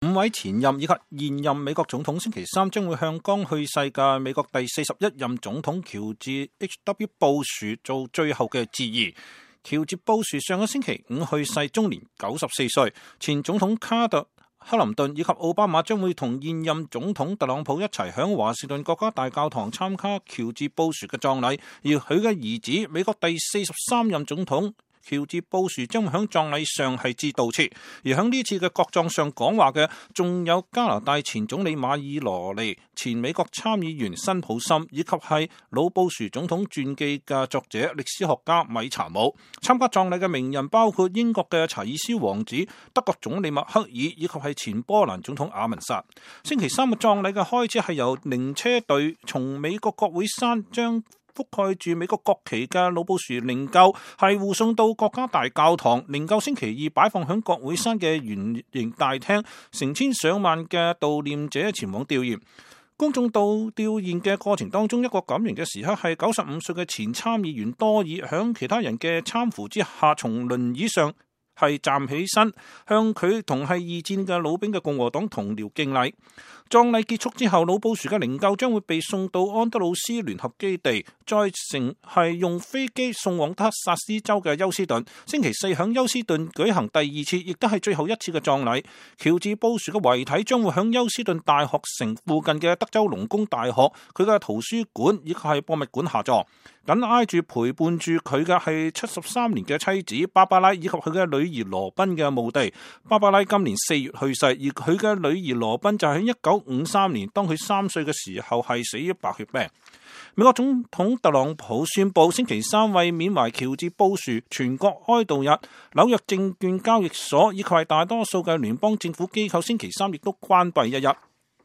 5位前任以及現任美國總統星期三將會向剛去世嘅美國第41任總統喬治 H.W. 布殊做最後嘅致意。喬治布殊上個星期五去世，終年94歲。前總統卡特、克林頓以及奧巴馬將會同現任總統特朗普一齊響華盛頓國家大教堂參加喬治布殊嘅葬禮，而佢嘅兒子美國第43任總統喬治布殊將會喺葬禮上係致悼詞，而喺呢次嘅國葬上講話嘅仲有加拿大前總理馬爾羅尼、前美國參議員辛普森以及係老布殊總統傳記嘅作者歷史學家米查姆。參加葬禮嘅名人包括英國嘅查爾斯王子、德國總理默克爾以及係前波蘭總統阿文薩。星期三嘅葬禮嘅開始係由靈車隊從美國國會山將覆蓋住美國國旗嘅老布殊靈柩係護送到國家大教堂，靈柩星期二擺放響國會山嘅圓形大廳，成千上萬嘅悼念者前往弔唁。公眾到弔唁嘅過程當中，一個感人嘅時刻係95歲嘅前參議員多爾響其他人嘅攙扶之下，從輪椅上係站起身，向佢同係二戰嘅老兵嘅共和黨同僚敬禮。葬禮結束之後，老布殊嘅靈柩將會被送到安德魯斯聯合基地，再乘係用飛機送往德克薩斯州嘅休斯頓。星期四響休斯頓舉行第二次，亦都係最後一次嘅葬禮。喬治布殊嘅遺體將會響休斯頓大學城附近嘅德州農工大學佢嘅圖書館以及係博物館下葬。緊挨住陪伴住佢嘅係73年嘅妻子芭芭拉以及佢嘅女兒羅賓嘅墓地。芭芭拉今年4月去世，而佢嘅女兒羅賓就喺1953年，當佢3歲嘅時候係死於白血病。美國總統特朗普宣布星期三為緬懷喬治布殊全國哀悼日，紐約證券交易所以及係大多數嘅聯邦政府機構星期三亦都關閉一日。